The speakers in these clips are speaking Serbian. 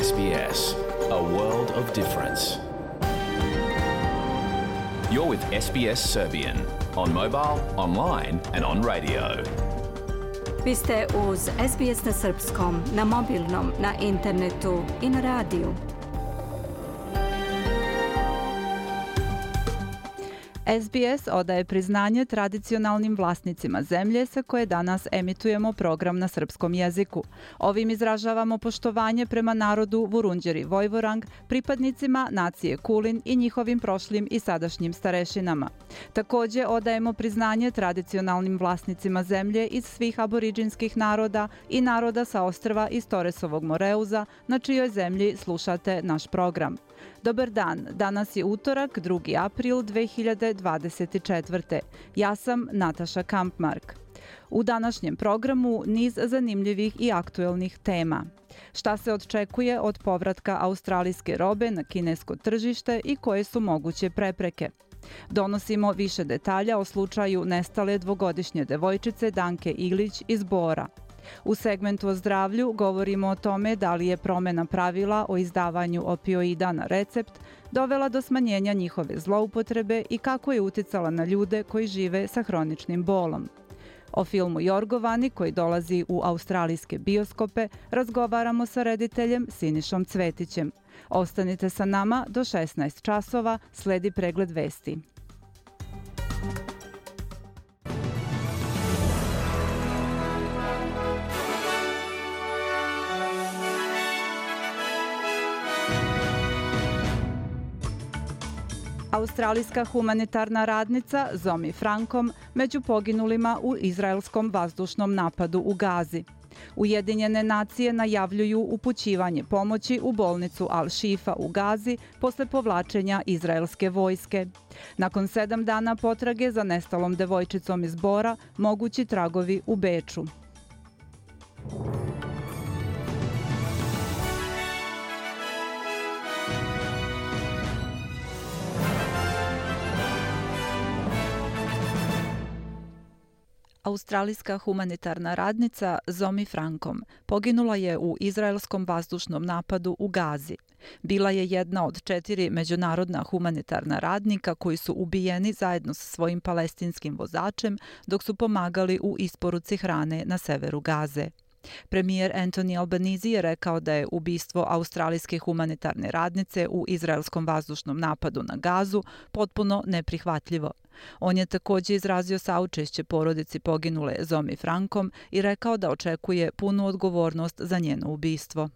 SBS, a world of difference. You're with SBS Serbian on mobile, online and on radio. Vi ste uz SBS na srpskom, na mobilnom, na internetu i na radiju. SBS odaje priznanje tradicionalnim vlasnicima zemlje sa koje danas emitujemo program na srpskom jeziku. Ovim izražavamo poštovanje prema narodu Vurundjeri Vojvorang, pripadnicima nacije Kulin i njihovim prošlim i sadašnjim starešinama. Također odajemo priznanje tradicionalnim vlasnicima zemlje iz svih aboriđinskih naroda i naroda sa ostrva iz Toresovog Moreuza, na čijoj zemlji slušate naš program. Dobar dan, danas je utorak, 2. april 2024. Ja sam Nataša Kampmark. U današnjem programu niz zanimljivih i aktuelnih tema. Šta se očekuje od povratka australijske robe na kinesko tržište i koje su moguće prepreke? Donosimo više detalja o slučaju nestale dvogodišnje devojčice Danke Ilić iz Bora. U segmentu o zdravlju govorimo o tome da li je promjena pravila o izdavanju opioida na recept dovela do smanjenja njihove zloupotrebe i kako je uticala na ljude koji žive sa hroničnim bolom. O filmu Jorgovani koji dolazi u australijske bioskope razgovaramo sa rediteljem Sinišom Cvetićem. Ostanite sa nama do 16 časova, sledi pregled vesti. Australijska humanitarna radnica Zomi Frankom među poginulima u izraelskom vazdušnom napadu u Gazi. Ujedinjene nacije najavljuju upućivanje pomoći u bolnicu Al-Shifa u Gazi posle povlačenja izraelske vojske. Nakon 7 dana potrage za nestalom devojčicom iz Bora, mogući tragovi u Beču. Australijska humanitarna radnica Zomi Frankom poginula je u izraelskom vazdušnom napadu u Gazi. Bila je jedna od 4 međunarodna humanitarna radnika koji su ubijeni zajedno sa svojim palestinskim vozačem dok su pomagali u isporuci hrane na severu Gaze. Premijer Anthony Albanese je rekao da je ubistvo australijske humanitarne radnice u izraelskom vazdušnom napadu na Gazu potpuno neprihvatljivo. On je također izrazio saučešće porodici poginule Zomi Frankom i rekao da očekuje punu odgovornost za njeno ubistvo.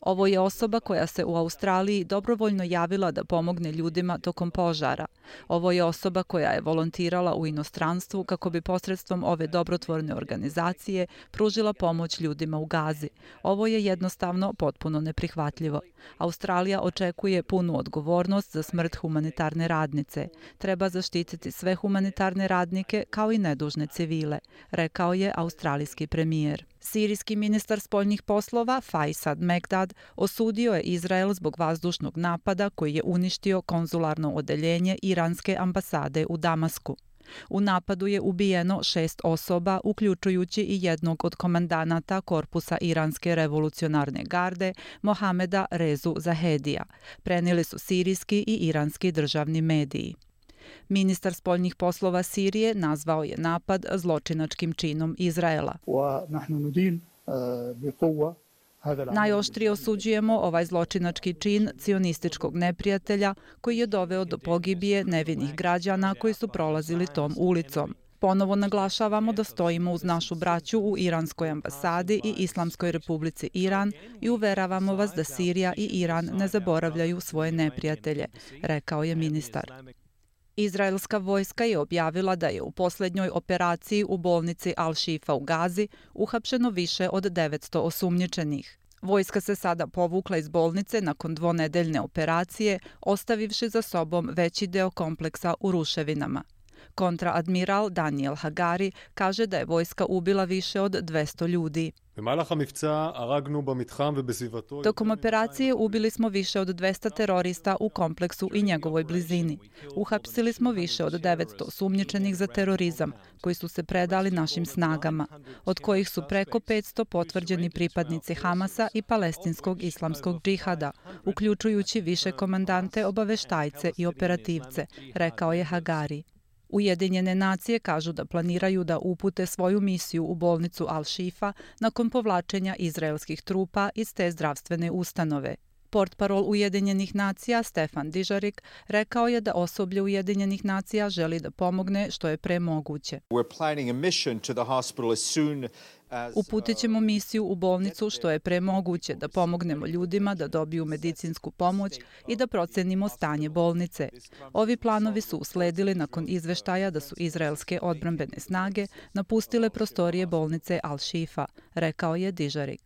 Ovo je osoba koja se u Australiji dobrovoljno javila da pomogne ljudima tokom požara. Ovo je osoba koja je volontirala u inostranstvu kako bi posredstvom ove dobrotvorne organizacije pružila pomoć ljudima u Gazi. Ovo je jednostavno potpuno neprihvatljivo. Australija očekuje punu odgovornost za smrt humanitarne radnice. Treba zaštititi sve humanitarne radnike kao i nedužne civile, rekao je australijski premijer. Sirijski ministar spoljnih poslova Faisad Mekdad osudio je Izrael zbog vazdušnog napada koji je uništio konzularno odeljenje iranske ambasade u Damasku. U napadu je ubijeno 6 osoba, uključujući i jednog od komandanata korpusa iranske revolucionarne garde, Mohameda Rezu Zahedija, prenijeli su sirijski i iranski državni mediji. Ministar spoljnih poslova Sirije nazvao je napad zločinačkim činom Izraela. Najoštrije osuđujemo ovaj zločinački čin cionističkog neprijatelja koji je doveo do pogibije nevinih građana koji su prolazili tom ulicom. Ponovo naglašavamo da stojimo uz našu braću u iranskoj ambasadi i Islamskoj republici Iran i uveravamo vas da Sirija i Iran ne zaboravljaju svoje neprijatelje, rekao je ministar. Izraelska vojska je objavila da je u posljednjoj operaciji u bolnici Al-Shifa u Gazi uhapšeno više od 900 osumnjičenih. Vojska se sada povukla iz bolnice nakon 2-nedeljne operacije, ostavivši za sobom veći deo kompleksa u ruševinama. Kontraadmiral Daniel Hagari kaže da je vojska ubila više od 200 ljudi. Tokom operacije ubili smo više od 200 terorista u kompleksu i njegovoj blizini. Uhapsili smo više od 900 osumnjičenih za terorizam, koji su se predali našim snagama, od kojih su preko 500 potvrđeni pripadnici Hamasa i palestinskog islamskog džihada, uključujući više komandante, obaveštajce i operativce, rekao je Hagari. Ujedinjene nacije kažu da planiraju da upute svoju misiju u bolnicu Al-Shifa nakon povlačenja izraelskih trupa iz te zdravstvene ustanove. Portparol Ujedinjenih nacija Stefan Dujarric rekao je da osoblje Ujedinjenih nacija želi da pomogne što je pre moguće. Uputit ćemo misiju u bolnicu što je pre moguće da pomognemo ljudima da dobiju medicinsku pomoć i da procenimo stanje bolnice. Ovi planovi su usledili nakon izveštaja da su izraelske odbrambene snage napustile prostorije bolnice Al-Shifa, rekao je Dujarric.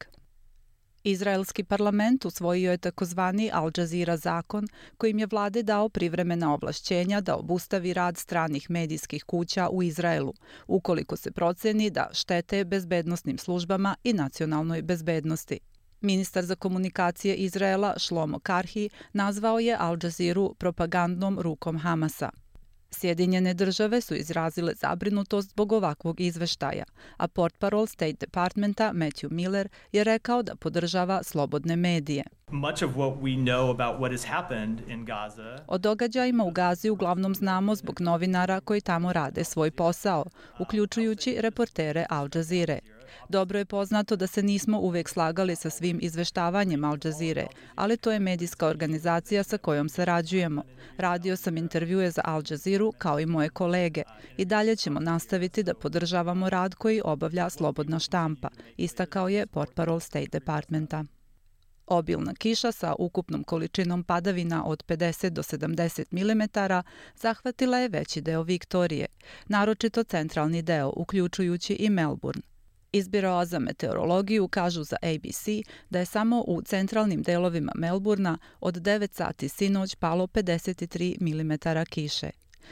Izraelski parlament usvojio je takozvani Al Jazeera zakon kojim je vlade dao privremena ovlašćenja da obustavi rad stranih medijskih kuća u Izraelu, ukoliko se proceni da štete bezbednosnim službama i nacionalnoj bezbednosti. Ministar za komunikacije Izraela Shlomo Karhi nazvao je Al Jazeeru propagandnom rukom Hamasa. Sjedinjene države su izrazile zabrinutost zbog ovakvog izveštaja, a portparol State Departmenta Matthew Miller je rekao da podržava slobodne medije. O događajima u Gazi uglavnom znamo zbog novinara koji tamo rade svoj posao, uključujući reportere Al Jazeere. Dobro je poznato da se nismo uvek slagali sa svim izveštavanjem Al Jazeere, ali to je medijska organizacija sa kojom sarađujemo. Radio sam intervjue za Al Jazeeru kao i moje kolege i dalje ćemo nastaviti da podržavamo rad koji obavlja slobodna štampa, istakao je portparol State Departmenta. Obilna kiša sa ukupnom količinom padavina od 50 do 70 mm zahvatila je veći deo Viktorije, naročito centralni deo, uključujući i Melbourne. Iz Biroa za meteorologiju kažu za ABC da je samo u centralnim delovima Melburna od 9 sati sinoć palo 53 mm kiše.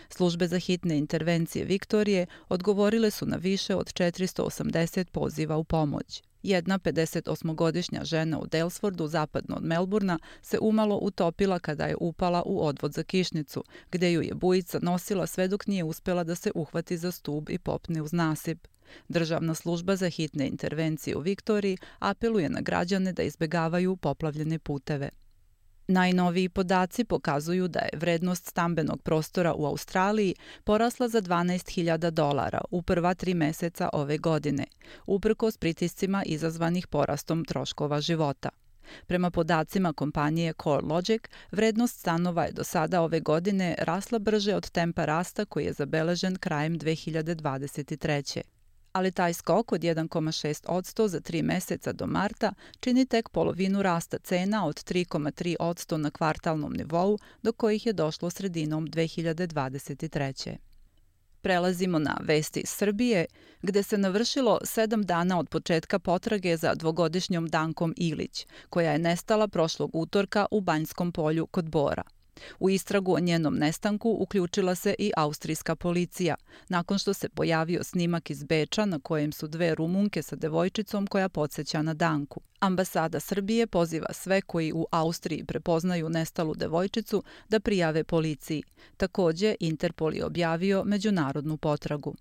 Službe za hitne intervencije Viktorije odgovorile su na više od 480 poziva u pomoć. Jedna 58-godišnja žena u Daylesfordu, zapadno od Melburna, se umalo utopila kada je upala u odvod za kišnicu, gde ju je bujica nosila sve dok nije uspela da se uhvati za stub i popne uz nasip. Državna služba za hitne intervencije u Viktoriji apeluje na građane da izbegavaju poplavljene puteve. Najnoviji podaci pokazuju da je vrednost stambenog prostora u Australiji porasla za $12.000 u prva 3 meseca ove godine, uprkos pritiscima izazvanih porastom troškova života. Prema podacima kompanije CoreLogic, vrednost stanova je do sada ove godine rasla brže od tempa rasta koji je zabeležen krajem 2023. Ali taj skok od 1,6% za 3 meseca do marta čini tek polovinu rasta cena od 3,3% na kvartalnom nivou do kojih je došlo sredinom 2023. Prelazimo na vesti iz Srbije, gde se navršilo 7 dana od početka potrage za dvogodišnjom Dankom Ilić, koja je nestala prošlog utorka u Banjskom polju kod Bora. U istragu o njenom nestanku uključila se i austrijska policija, nakon što se pojavio snimak iz Beča na kojem su 2 Rumunke sa devojčicom koja podsjeća na Danku. Ambasada Srbije poziva sve koji u Austriji prepoznaju nestalu devojčicu da prijave policiji. Takođe, Interpol je objavio međunarodnu potragu.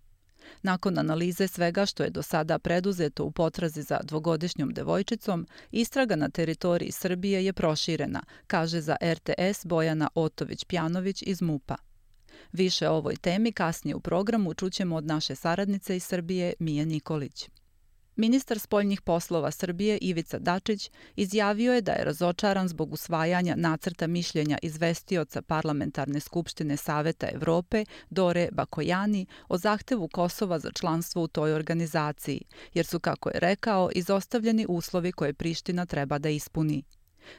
Nakon analize svega što je do sada preduzeto u potrazi za dvogodišnjom devojčicom, istraga na teritoriji Srbije je proširena, kaže za RTS Bojana Otović-Pjanović iz MUP-a. Više o ovoj temi kasnije u programu čućemo od naše saradnice iz Srbije Mije Nikolić. Ministar spoljnih poslova Srbije Ivica Dačić izjavio je da je razočaran zbog usvajanja nacrta mišljenja izvestioca Parlamentarne skupštine Saveta Evrope Dore Bakojani o zahtevu Kosova za članstvo u toj organizaciji, jer su, kako je rekao, izostavljeni uslovi koje Priština treba da ispuni.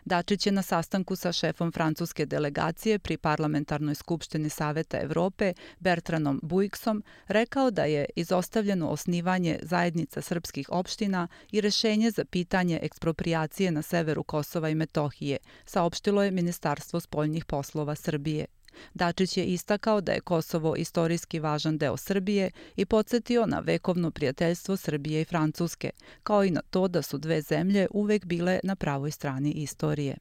Dačić je na sastanku sa šefom francuske delegacije pri Parlamentarnoj skupštini Saveta Evrope Bertranom Buiksom rekao da je izostavljeno osnivanje zajednica srpskih opština i rešenje za pitanje eksproprijacije na severu Kosova i Metohije, saopštilo je Ministarstvo spoljnih poslova Srbije. Dačić je istakao da je Kosovo istorijski važan deo Srbije i podsjetio na vekovno prijateljstvo Srbije i Francuske, kao i na to da su dve zemlje uvek bile na pravoj strani istorije.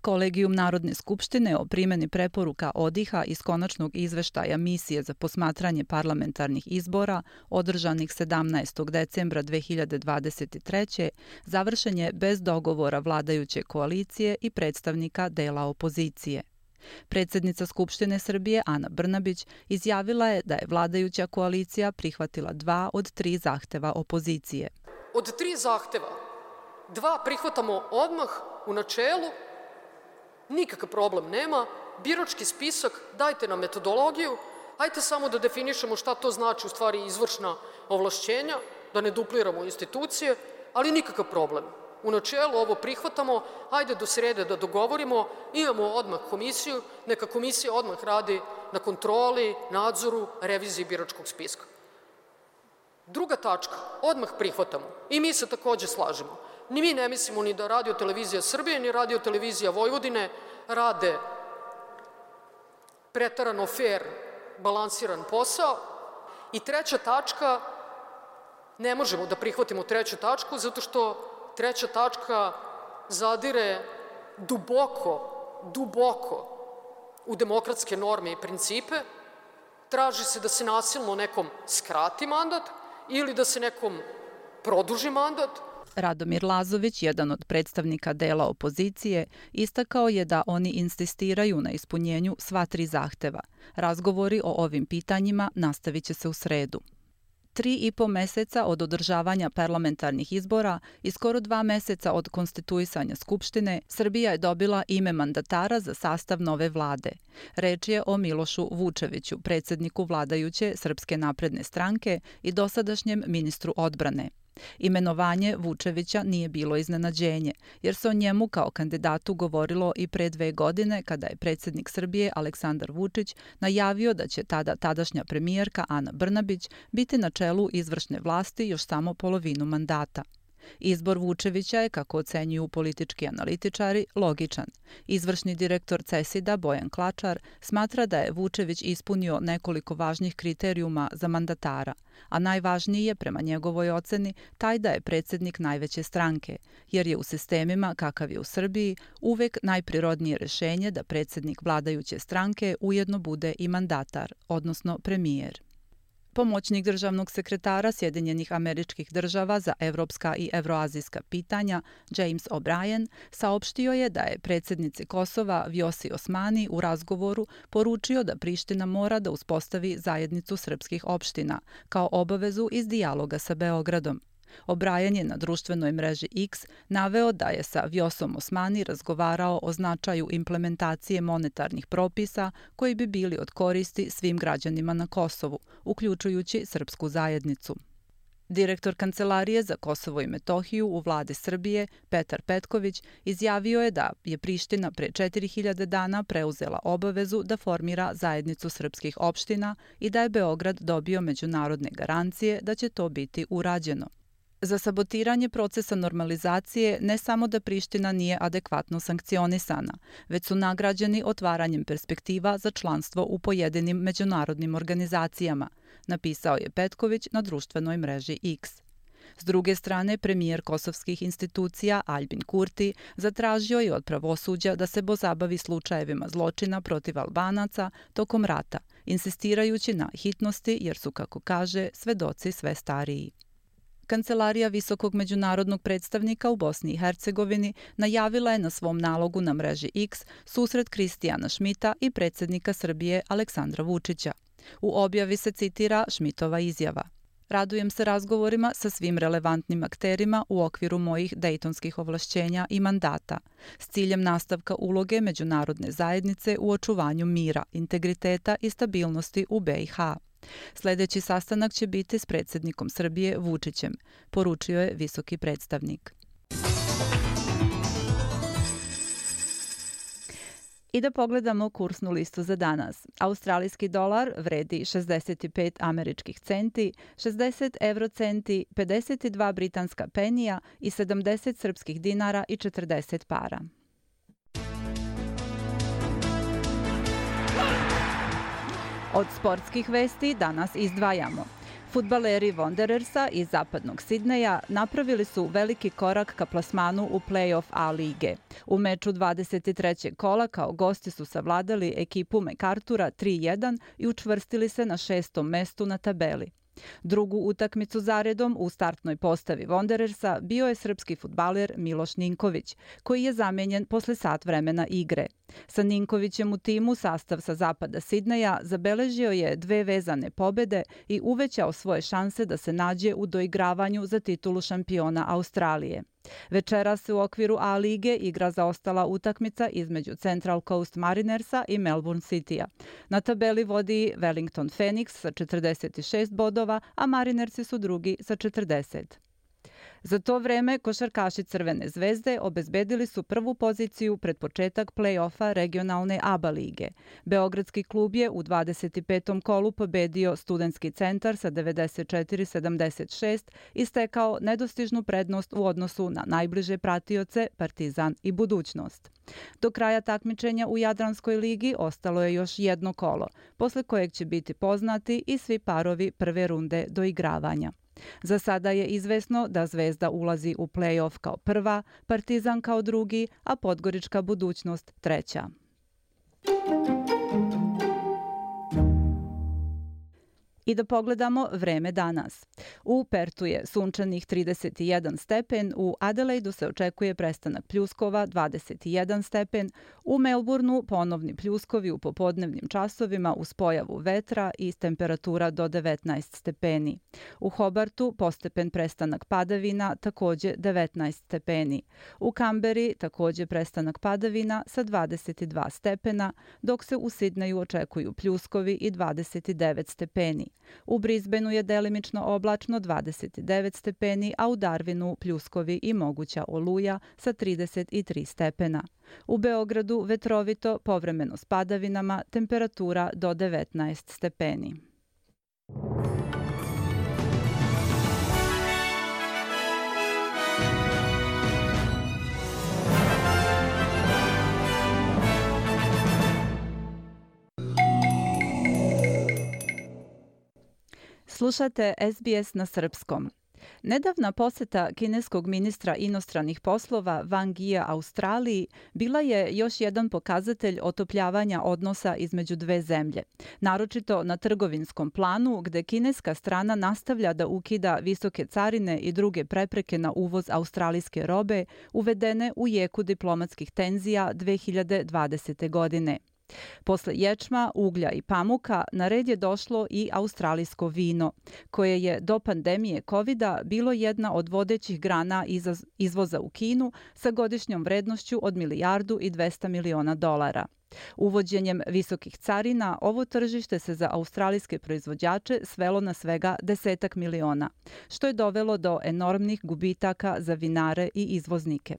Kolegijum Narodne skupštine o primjeni preporuka ODIHR-a iz konačnog izveštaja Misije za posmatranje parlamentarnih izbora, održanih 17. decembra 2023. završen je bez dogovora vladajuće koalicije i predstavnika dela opozicije. Predsjednica Skupštine Srbije Ana Brnabić izjavila je da je vladajuća koalicija prihvatila 2 od 3 zahteva opozicije. Od 3 zahteva, 2 prihvatamo odmah u načelu, nikakav problem nema, birački spisak, dajte nam metodologiju, hajte samo da definišemo šta to znači u stvari izvršna ovlašćenja, da ne dupliramo institucije, ali nikakav problem. U načelu ovo prihvatamo, hajde do srede da dogovorimo, imamo odmah komisiju, neka komisija odmah radi na kontroli, nadzoru, reviziji biračkog spiska. Druga tačka, odmah prihvatamo i mi se takođe slažemo. Ni mi ne mislimo ni da Radio televizija Srbije, ni Radio televizija Vojvodine rade preterano fair, balansiran posao. I treća tačka, ne možemo da prihvatimo treću tačku, zato što treća tačka zadire duboko u demokratske norme i principe. Traži se da se nasilno nekom skrati mandat ili da se nekom produži mandat. Radomir Lazović, jedan od predstavnika dela opozicije, istakao je da oni insistiraju na ispunjenju sva 3 zahteva. Razgovori o ovim pitanjima nastavit će se u sredu. 3,5 meseca od održavanja parlamentarnih izbora i skoro 2 meseca od konstituisanja Skupštine, Srbija je dobila ime mandatara za sastav nove vlade. Reč je o Milošu Vučeviću, predsjedniku vladajuće Srpske napredne stranke i dosadašnjem ministru odbrane. Imenovanje Vučevića nije bilo iznenađenje, jer se o njemu kao kandidatu govorilo i pre 2 godine kada je predsjednik Srbije Aleksandar Vučić najavio da će tadašnja premijerka Ana Brnabić biti na čelu izvršne vlasti još samo polovinu mandata. Izbor Vučevića je, kako ocenjuju politički analitičari, logičan. Izvršni direktor CESID-a Bojan Klačar smatra da je Vučević ispunio nekoliko važnih kriterijuma za mandatara, a najvažniji je, prema njegovoj oceni, taj da je predsjednik najveće stranke, jer je u sistemima kakav je u Srbiji uvek najprirodnije rešenje da predsjednik vladajuće stranke ujedno bude i mandatar, odnosno premijer. Pomoćnik državnog sekretara Sjedinjenih Američkih Država za evropska i evroazijska pitanja James O'Brien saopštio je da je predsjednici Kosova Vjosi Osmani u razgovoru poručio da Priština mora da uspostavi zajednicu srpskih opština kao obavezu iz dijaloga sa Beogradom. O'Brien je na društvenoj mreži X naveo da je sa Vjosom Osmani razgovarao o značaju implementacije monetarnih propisa koji bi bili od koristi svim građanima na Kosovu, uključujući srpsku zajednicu. Direktor Kancelarije za Kosovo i Metohiju u vladi Srbije, Petar Petković, izjavio je da je Priština pre 4000 dana preuzela obavezu da formira zajednicu srpskih opština i da je Beograd dobio međunarodne garancije da će to biti urađeno. Za sabotiranje procesa normalizacije ne samo da Priština nije adekvatno sankcionisana, već su nagrađeni otvaranjem perspektiva za članstvo u pojedinim međunarodnim organizacijama, napisao je Petković na društvenoj mreži X. S druge strane, premijer kosovskih institucija Aljbin Kurti zatražio je od pravosuđa da se pozabavi slučajevima zločina protiv Albanaca tokom rata, insistirajući na hitnosti jer su, kako kaže, svedoci sve stariji. Kancelarija visokog međunarodnog predstavnika u Bosni i Hercegovini najavila je na svom nalogu na mreži X susret Kristijana Šmita i predsjednika Srbije Aleksandra Vučića. U objavi se citira Šmitova izjava: "Radujem se razgovorima sa svim relevantnim akterima u okviru mojih dejtonskih ovlašćenja i mandata, s ciljem nastavka uloge međunarodne zajednice u očuvanju mira, integriteta i stabilnosti u BiH. Sljedeći sastanak će biti s predsjednikom Srbije Vučićem", poručio je visoki predstavnik. I da pogledamo kursnu listu za danas. Australijski dolar vredi 65 američkih centi, 60 eurocenti, 52 britanska penija i 70 srpskih dinara i 40 para. Od sportskih vesti danas izdvajamo. Fudbaleri Wanderersa iz zapadnog Sidneja napravili su veliki korak ka plasmanu u play-off A lige. U meču 23. kola kao gosti su savladali ekipu MacArthura 3-1 i učvrstili se na 6. mestu na tabeli. Drugu utakmicu zaredom u startnoj postavi Wanderersa bio je srpski fudbaler Miloš Ninković, koji je zamenjen posle sat vremena igre. Sa Ninkovićem u timu sastav sa zapada Sidneja zabeležio je 2 vezane pobede i uvećao svoje šanse da se nađe u doigravanju za titulu šampiona Australije. Večeras se u okviru A lige igra zaostala utakmica između Central Coast Marinersa i Melbourne Citya. Na tabeli vodi Wellington Phoenix sa 46 bodova, a Marinersi su drugi sa 40. Za to vreme košarkaši Crvene zvezde obezbedili su prvu poziciju pred početak play-offa regionalne ABA lige. Beogradski klub je u 25. kolu pobedio Studentski centar sa 94-76 i stekao nedostižnu prednost u odnosu na najbliže pratioce Partizan i Budućnost. Do kraja takmičenja u Jadranskoj ligi ostalo je još jedno kolo, posle kojeg će biti poznati i svi parovi prve runde doigravanja. Za sada je izvesno da Zvezda ulazi u play-off kao prva, Partizan kao drugi, a Podgorička Budućnost treća. I da pogledamo vreme danas. U Pertu je sunčanih 31 stepen, u Adelaidu se očekuje prestanak pljuskova 21 stepen, u Melbourneu ponovni pljuskovi u popodnevnim časovima uz pojavu vetra i temperatura do 19 stepeni. U Hobartu postepen prestanak padavina, takođe 19 stepeni. U Kamberi takođe prestanak padavina sa 22 stepena, dok se u Sidneju očekuju pljuskovi i 29 stepeni. U Brisbaneu je delimično oblačno 29 stepeni, a u Darwinu pljuskovi i moguća oluja sa 33 stepena. U Beogradu vetrovito, povremeno s padavinama, temperatura do 19 stepeni. Slušate SBS na srpskom. Nedavna poseta kineskog ministra inostranih poslova Wang Yia Australiji bila je još jedan pokazatelj otopljavanja odnosa između dve zemlje, naročito na trgovinskom planu gde kineska strana nastavlja da ukida visoke carine i druge prepreke na uvoz australijske robe uvedene u jeku diplomatskih tenzija 2020. godine. Posle ječma, uglja i pamuka na red je došlo i australijsko vino, koje je do pandemije COVID-a bilo jedna od vodećih grana izvoza u Kinu sa godišnjom vrednošću od $1,2 milijardi. Uvođenjem visokih carina ovo tržište se za australijske proizvođače svelo na svega 10 miliona, što je dovelo do enormnih gubitaka za vinare i izvoznike.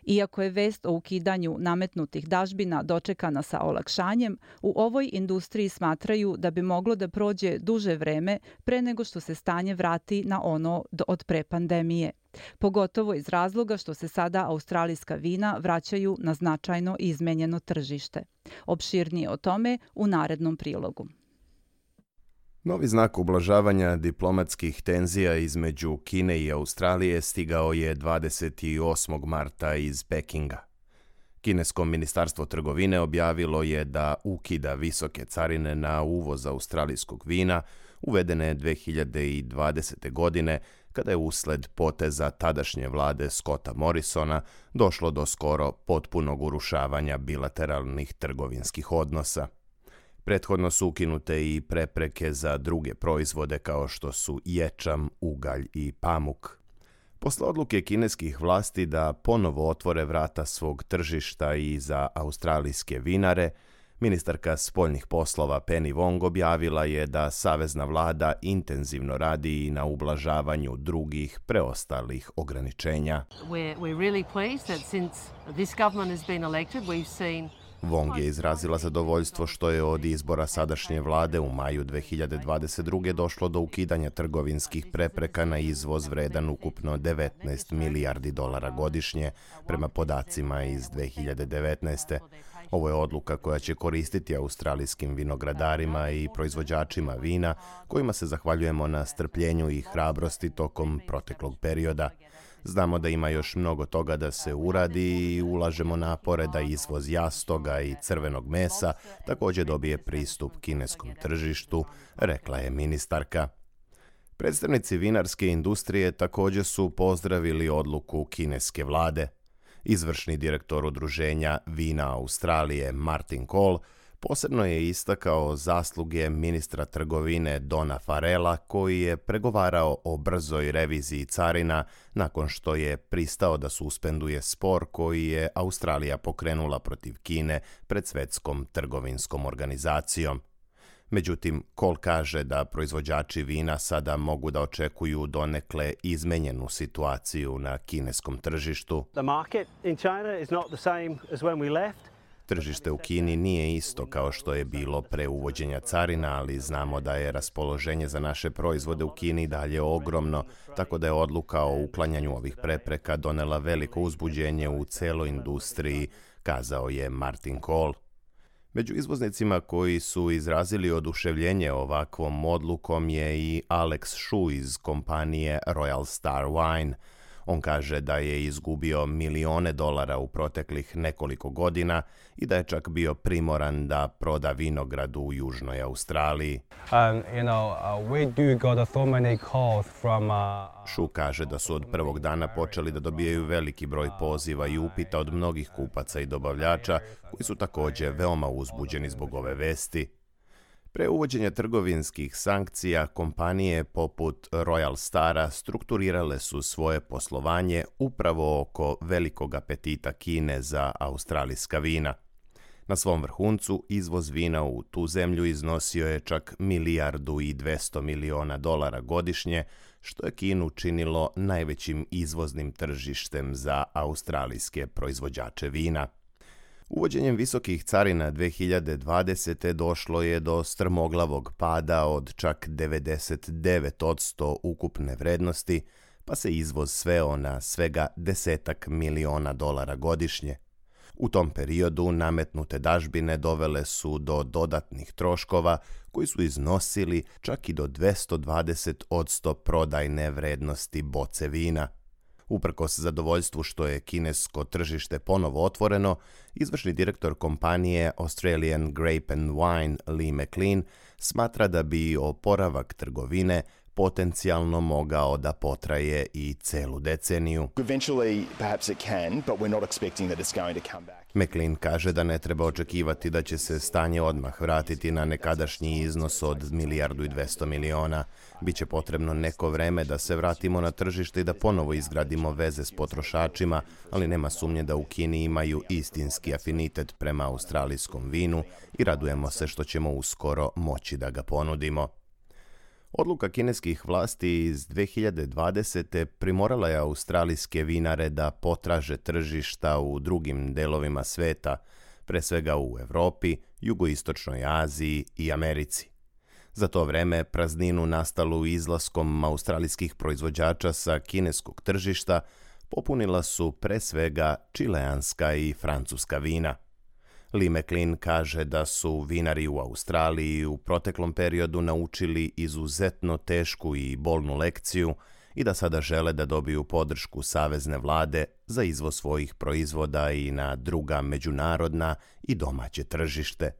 Iako je vest o ukidanju nametnutih dažbina dočekana sa olakšanjem, u ovoj industriji smatraju da bi moglo da prođe duže vreme pre nego što se stanje vrati na ono od pre pandemije. Pogotovo iz razloga što se sada australijska vina vraćaju na značajno izmenjeno tržište. Opširnije o tome u narednom prilogu. Novi znak ublažavanja diplomatskih tenzija između Kine i Australije stigao je 28. marta iz Pekinga. Kinesko ministarstvo trgovine objavilo je da ukida visoke carine na uvoz australijskog vina uvedene 2020. godine, kada je usled poteza tadašnje vlade Scotta Morrisona došlo do skoro potpunog urušavanja bilateralnih trgovinskih odnosa. Prethodno su ukinute i prepreke za druge proizvode kao što su ječam, ugalj i pamuk. Posle odluke kineskih vlasti da ponovo otvore vrata svog tržišta i za australijske vinare, ministarka spoljnih poslova Penny Wong objavila je da savezna vlada intenzivno radi i na ublažavanju drugih preostalih ograničenja. Wong je izrazila zadovoljstvo što je od izbora sadašnje vlade u maju 2022. došlo do ukidanja trgovinskih prepreka na izvoz vredan ukupno $19 milijardi godišnje, prema podacima iz 2019. Ovo je odluka koja će koristiti australijskim vinogradarima i proizvođačima vina, kojima se zahvaljujemo na strpljenju i hrabrosti tokom proteklog perioda. Znamo da ima još mnogo toga da se uradi i ulažemo napore da izvoz jastoga i crvenog mesa također dobije pristup kineskom tržištu, rekla je ministarka. Predstavnici vinarske industrije također su pozdravili odluku kineske vlade. Izvršni direktor udruženja Vina Australije Martin Cole posebno je istakao zasluge ministra trgovine Dona Farrella, koji je pregovarao o brzoj reviziji carina nakon što je pristao da suspenduje spor koji je Australija pokrenula protiv Kine pred Svjetskom trgovinskom organizacijom. Međutim, Cole kaže da proizvođači vina sada mogu da očekuju donekle izmenjenu situaciju na kineskom tržištu. Tržište u Kini nije isto kao što je bilo pre uvođenja carina, ali znamo da je raspoloženje za naše proizvode u Kini dalje ogromno, tako da je odluka o uklanjanju ovih prepreka donela veliko uzbuđenje u celoj industriji, kazao je Martin Cole. Među izvoznicima koji su izrazili oduševljenje ovakvom odlukom je i Alex Shu iz kompanije Royal Star Wine. On kaže da je izgubio milione dolara u proteklih nekoliko godina i da je čak bio primoran da proda vinograd u Južnoj Australiji. Shu kaže da su od prvog dana počeli da dobijaju veliki broj poziva i upita od mnogih kupaca i dobavljača koji su također veoma uzbuđeni zbog ove vesti. Pre uvođenja trgovinskih sankcija, kompanije poput Royal Stara strukturirale su svoje poslovanje upravo oko velikog apetita Kine za australijska vina. Na svom vrhuncu izvoz vina u tu zemlju iznosio je čak $1,2 milijardi godišnje, što je Kinu činilo najvećim izvoznim tržištem za australijske proizvođače vina. Uvođenjem visokih carina 2020. došlo je do strmoglavog pada od čak 99% ukupne vrednosti, pa se izvoz sveo na svega $10 miliona godišnje. U tom periodu nametnute dažbine dovele su do dodatnih troškova koji su iznosili čak i do 220% prodajne vrednosti boce vina. Uprkos zadovoljstvu što je kinesko tržište ponovo otvoreno, izvršni direktor kompanije Australian Grape and Wine Lee McLean smatra da bi oporavak trgovine potencijalno mogao da potraje i celu deceniju. McLean kaže da ne treba očekivati da će se stanje odmah vratiti na nekadašnji iznos od $1,2 milijardi. Biće potrebno neko vreme da se vratimo na tržište i da ponovo izgradimo veze s potrošačima, ali nema sumnje da u Kini imaju istinski afinitet prema australijskom vinu i radujemo se što ćemo uskoro moći da ga ponudimo. Odluka kineskih vlasti iz 2020. primorala je australijske vinare da potraže tržišta u drugim delovima sveta, pre svega u Evropi, Jugoistočnoj Aziji i Americi. Za to vreme prazninu nastalu izlaskom australijskih proizvođača sa kineskog tržišta popunila su pre svega čileanska i francuska vina. Lee McLean kaže da su vinari u Australiji u proteklom periodu naučili izuzetno tešku i bolnu lekciju i da sada žele da dobiju podršku savezne vlade za izvoz svojih proizvoda i na druga međunarodna i domaće tržište.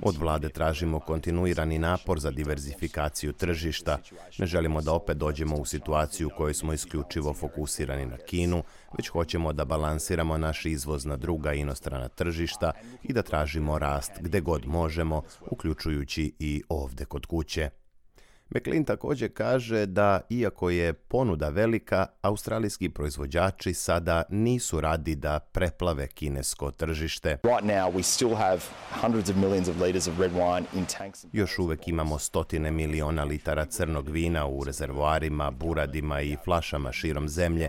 Od vlade tražimo kontinuirani napor za diverzifikaciju tržišta. Ne želimo da opet dođemo u situaciju u kojoj smo isključivo fokusirani na Kinu, već hoćemo da balansiramo naš izvoz na druga inostrana tržišta i da tražimo rast gde god možemo, uključujući i ovde kod kuće. McLean također kaže da, iako je ponuda velika, australijski proizvođači sada nisu radi da preplave kinesko tržište. Još uvek imamo stotine miliona litara crnog vina u rezervoarima, buradima i flašama širom zemlje.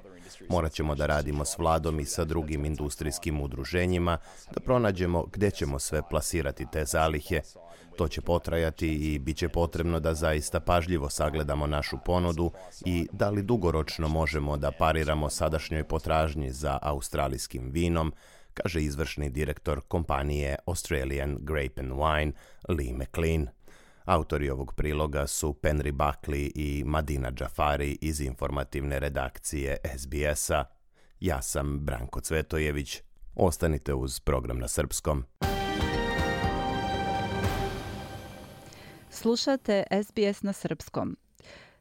Morat ćemo da radimo s vladom i sa drugim industrijskim udruženjima da pronađemo gde ćemo sve plasirati te zalihe. To će potrajati i bit će potrebno da zaista pažljivo sagledamo našu ponudu i da li dugoročno možemo da pariramo sadašnjoj potražnji za australijskim vinom, kaže izvršni direktor kompanije Australian Grape and Wine Lee McLean. Autori ovog priloga su Penry Buckley i Madina Džafari iz informativne redakcije SBS-a. Ja sam Branko Cvetojević. Ostanite uz program na srpskom. Slušate SBS na srpskom.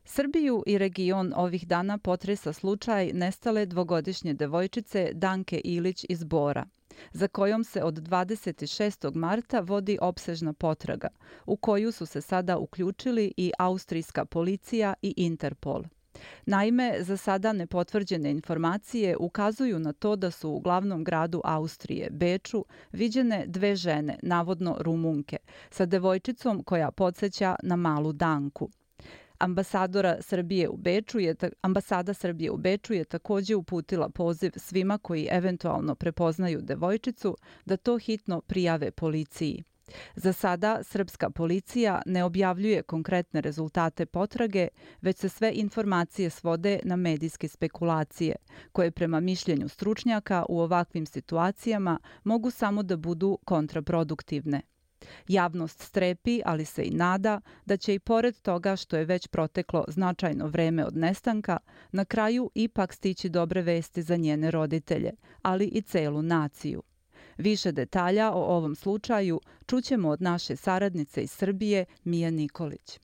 Srbiju i region ovih dana potresa slučaj nestale dvogodišnje devojčice Danke Ilić iz Bora, za kojom se od 26. marta vodi opsežna potraga, u koju su se sada uključili i austrijska policija i Interpol. Naime, za sada nepotvrđene informacije ukazuju na to da su u glavnom gradu Austrije, Beču, viđene dve žene, navodno Rumunke, sa devojčicom koja podsjeća na malu Danku. Ambasada Srbije u Beču je također uputila poziv svima koji eventualno prepoznaju devojčicu da to hitno prijave policiji. Za sada srpska policija ne objavljuje konkretne rezultate potrage, već se sve informacije svode na medijske spekulacije, koje prema mišljenju stručnjaka u ovakvim situacijama mogu samo da budu kontraproduktivne. Javnost strepi, ali se i nada da će i pored toga što je već proteklo značajno vreme od nestanka, na kraju ipak stići dobre vesti za njene roditelje, ali i celu naciju. Više detalja o ovom slučaju čućemo od naše saradnice iz Srbije, Mije Nikolić.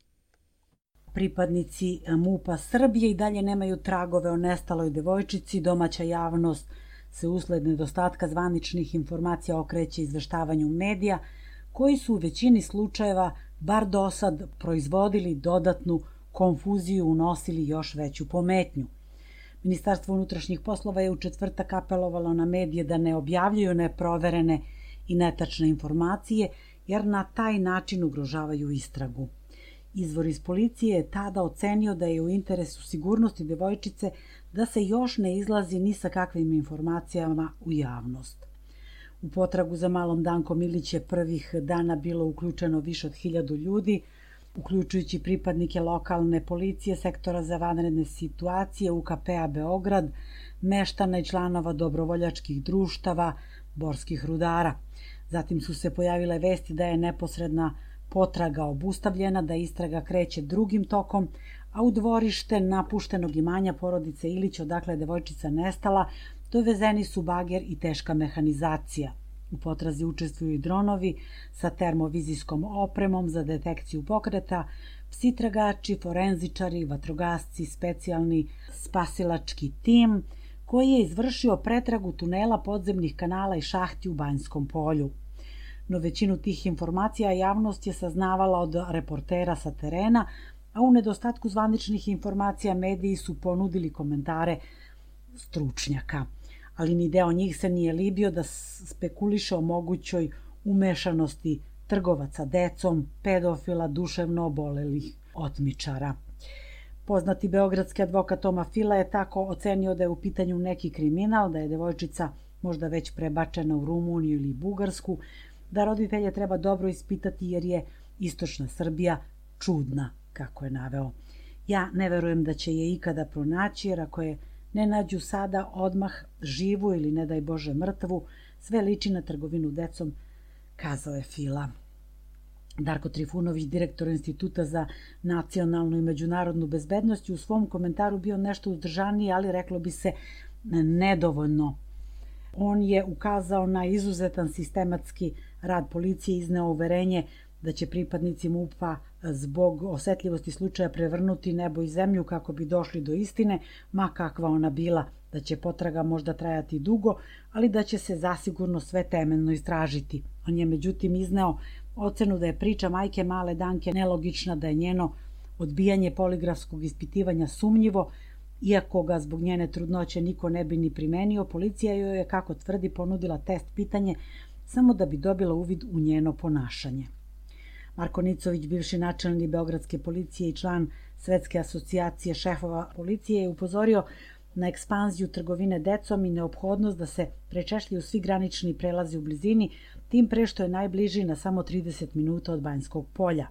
Pripadnici MUP-a Srbije i dalje nemaju tragove o nestaloj devojčici. Domaća javnost se usled nedostatka zvaničnih informacija okreće izveštavanju medija, koji su u većini slučajeva, bar dosad, proizvodili dodatnu konfuziju, unosili još veću pometnju. Ministarstvo unutrašnjih poslova je u četvrtak apelovalo na medije da ne objavljuju neproverene i netačne informacije, jer na taj način ugrožavaju istragu. Izvor iz policije je tada ocenio da je u interesu sigurnosti devojčice da se još ne izlazi ni sa kakvim informacijama u javnost. U potragu za malom Dankom Ilić je prvih dana bilo uključeno više od 1000 ljudi, uključujući pripadnike lokalne policije, sektora za vanredne situacije, UKP-a Beograd, meštana i članova dobrovoljačkih društava, borskih rudara. Zatim su se pojavile vesti da je neposredna potraga obustavljena, da istraga kreće drugim tokom, a u dvorište napuštenog imanja porodice Ilić, odakle je devojčica nestala, dovezeni su bager i teška mehanizacija. U potrazi učestvuju i dronovi sa termovizijskom opremom za detekciju pokreta, psi tragači, forenzičari, vatrogasci, specijalni spasilački tim koji je izvršio pretragu tunela, podzemnih kanala i šahti u Banjskom polju. No većinu tih informacija javnost je saznavala od reportera sa terena, a u nedostatku zvaničnih informacija mediji su ponudili komentare stručnjaka. Ali ni deo njih se nije libio da spekuliše o mogućoj umešanosti trgovaca decom, pedofila, duševno obolelih otmičara. Poznati beogradski advokat Toma Fila je tako ocenio da je u pitanju neki kriminal, da je devojčica možda već prebačena u Rumuniju ili Bugarsku, da roditelje treba dobro ispitati jer je istočna Srbija čudna, kako je naveo. Ja ne verujem da će je ikada pronaći, jer ako je ne nađu sada odmah živu ili ne daj Bože mrtvu, sve liči na trgovinu decom, kazao je Fila. Darko Trifunović, direktor Instituta za nacionalnu i međunarodnu bezbednost, u svom komentaru bio nešto uzdržaniji, ali reklo bi se nedovoljno. On je ukazao na izuzetan sistematski rad policije i izneo uverenje da će pripadnici MUP-a zbog osetljivosti slučaja prevrnuti nebo i zemlju kako bi došli do istine, ma kakva ona bila, da će potraga možda trajati dugo, ali da će se zasigurno sve temeljno istražiti. On je međutim izneo ocenu da je priča majke male Danke nelogična, da je njeno odbijanje poligrafskog ispitivanja sumnjivo, iako ga zbog njene trudnoće niko ne bi ni primenio. Policija joj je, kako tvrdi, ponudila test pitanje samo da bi dobila uvid u njeno ponašanje. Marko Nicović, bivši načelnik beogradske policije i član Svetske asocijacije šefova policije, je upozorio na ekspanziju trgovine decom i neophodnost da se prečešljaju svi granični prelazi u blizini, tim pre što je najbliži na samo 30 minuta od Banjskog polja.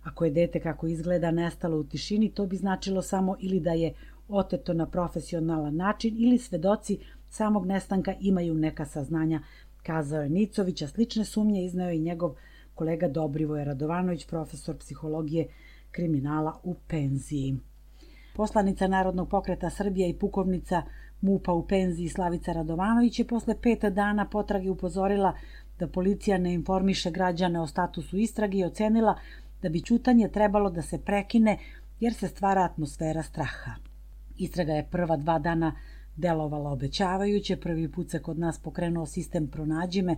Ako je dete kako izgleda nestalo u tišini, to bi značilo samo ili da je oteto na profesionalan način ili svedoci samog nestanka imaju neka saznanja, kazao je Nicović, a slične sumnje izneo i njegov kolega Dobrivoje Radovanović, profesor psihologije kriminala u penziji. Poslanica Narodnog pokreta Srbije i pukovnica MUP-a u penziji Slavica Radovanović je posle 5 dana potrage upozorila da policija ne informiše građane o statusu istrage i ocenila da bi ćutanje trebalo da se prekine jer se stvara atmosfera straha. Istraga je prva 2 dana delovala obećavajuće. Prvi put se kod nas pokrenuo sistem Pronađi me,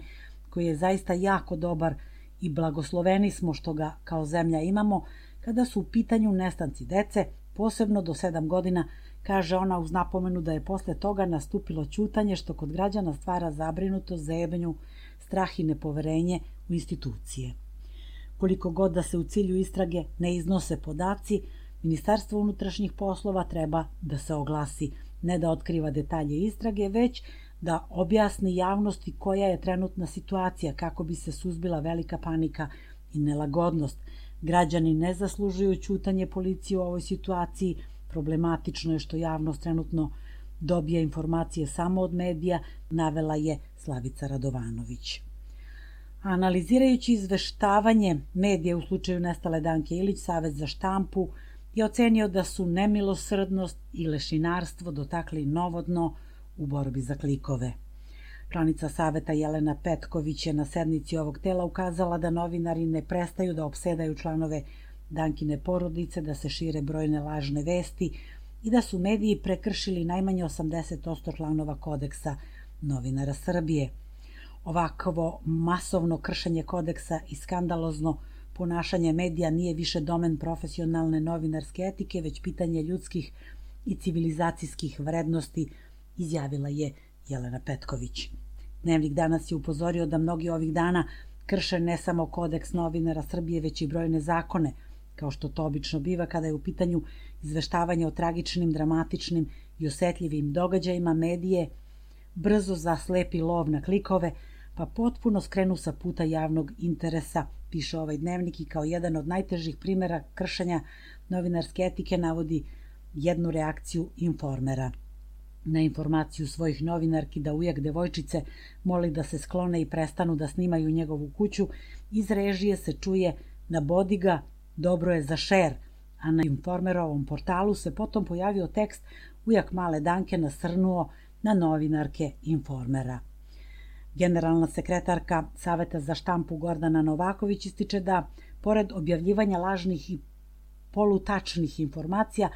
koji je zaista jako dobar i blagosloveni smo što ga kao zemlja imamo kada su u pitanju nestanci dece, posebno do 7 godina, kaže ona uz napomenu da je posle toga nastupilo ćutanje što kod građana stvara zabrinutost, zebnju, strah i nepoverenje u institucije. Koliko god da se u cilju istrage ne iznose podaci, Ministarstvo unutrašnjih poslova treba da se oglasi, ne da otkriva detalje istrage, već da objasni javnosti koja je trenutna situacija kako bi se suzbila velika panika i nelagodnost. Građani ne zaslužuju ćutanje policije u ovoj situaciji. Problematično je što javnost trenutno dobija informacije samo od medija, navela je Slavica Radovanović. Analizirajući izveštavanje medija u slučaju nestale Danke Ilić, Savet za štampu je ocenio da su nemilosrdnost i lešinarstvo dotakli novo dno u borbi za klikove. Članica Saveta Jelena Petković je na sednici ovog tela ukazala da novinari ne prestaju da opsedaju članove Dankine porodice, da se šire brojne lažne vesti i da su mediji prekršili najmanje 80% članova kodeksa novinara Srbije. Ovakvo masovno kršenje kodeksa i skandalozno ponašanje medija nije više domen profesionalne novinarske etike, već pitanje ljudskih i civilizacijskih vrednosti, izjavila je Jelena Petković. Dnevnik danas je upozorio da mnogi ovih dana krše ne samo kodeks novinara Srbije, već i brojne zakone, kao što to obično biva kada je u pitanju izveštavanje o tragičnim, dramatičnim i osetljivim događajima. Medije brzo zaslepi lov na klikove, pa potpuno skrenu sa puta javnog interesa, piše ovaj dnevnik, i kao jedan od najtežih primjera kršenja novinarske etike navodi jednu reakciju Informera. Na informaciju svojih novinarki da ujak devojčice moli da se sklone i prestanu da snimaju njegovu kuću, iz režije se čuje "nabodi ga, dobro je za šer", a na Informerovom portalu se potom pojavio tekst "ujak male Danke nasrnuo na novinarke Informera". Generalna sekretarka Saveta za štampu Gordana Novaković ističe da, pored objavljivanja lažnih i polutačnih informacija,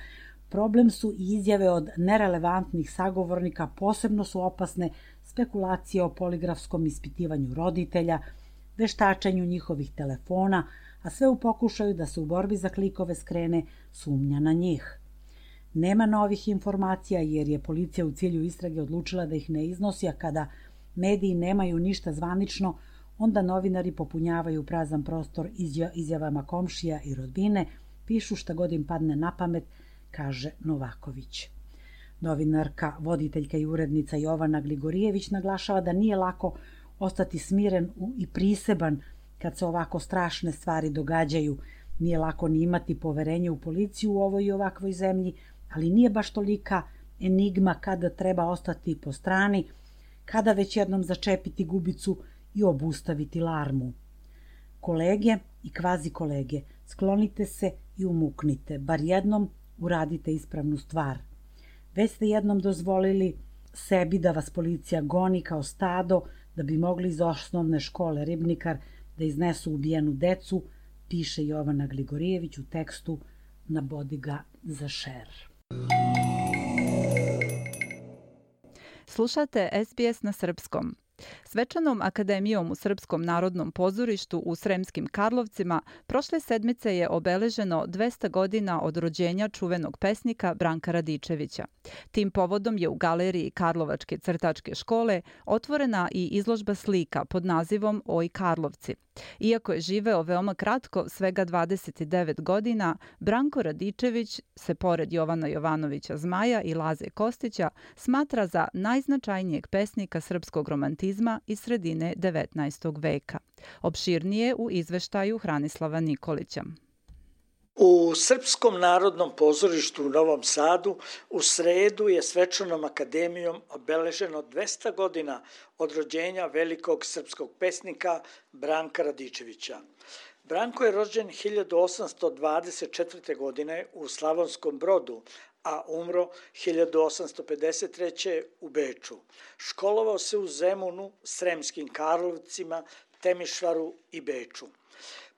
problem su i izjave od nerelevantnih sagovornika, posebno su opasne spekulacije o poligrafskom ispitivanju roditelja, veštačenju njihovih telefona, a sve u pokušaju da se u borbi za klikove skrene sumnja na njih. Nema novih informacija jer je policija u cilju istrage odlučila da ih ne iznosi, a kada mediji nemaju ništa zvanično, onda novinari popunjavaju prazan prostor izjavama komšija i rodbine, pišu šta god im padne na pamet, kaže Novaković. Novinarka, voditeljka i urednica Jovana Gligorijević naglašava da nije lako ostati smiren i priseban kad se ovako strašne stvari događaju. Nije lako ni imati poverenje u policiju u ovoj i ovakvoj zemlji, ali nije baš tolika enigma kada treba ostati po strani, kada već jednom začepiti gubicu i obustaviti larmu. Kolege i kvazi kolege, sklonite se i umuknite, bar jednom uradite ispravnu stvar. Već ste jednom dozvolili sebi da vas policija goni kao stado da bi mogli iz osnovne škole Ribnikar da iznesu ubijenu decu, piše Jovana Gligorijević u tekstu "Nabodi ga za šer". Slušate SBS na srpskom. Svečanom akademijom u Srpskom narodnom pozorištu u Sremskim Karlovcima prošle sedmice je obeleženo 200 godina od rođenja čuvenog pesnika Branka Radičevića. Tim povodom je u galeriji Karlovačke crtačke škole otvorena i izložba slika pod nazivom Oj Karlovci. Iako je živeo veoma kratko, svega 29 godina, Branko Radičević se pored Jovana Jovanovića Zmaja i Laze Kostića smatra za najznačajnijeg pesnika srpskog romantizma iz sredine 19. veka. Opširnije u izveštaju Hranislava Nikolića. U Srpskom narodnom pozorištu u Novom Sadu u sredu je svečanom akademijom obeleženo 200 godina od rođenja velikog srpskog pesnika Branka Radičevića. Branko je rođen 1824. godine u Slavonskom Brodu, a umro 1853. u Beču. Školovao se u Zemunu, Sremskim Karlovcima, Temišvaru i Beču.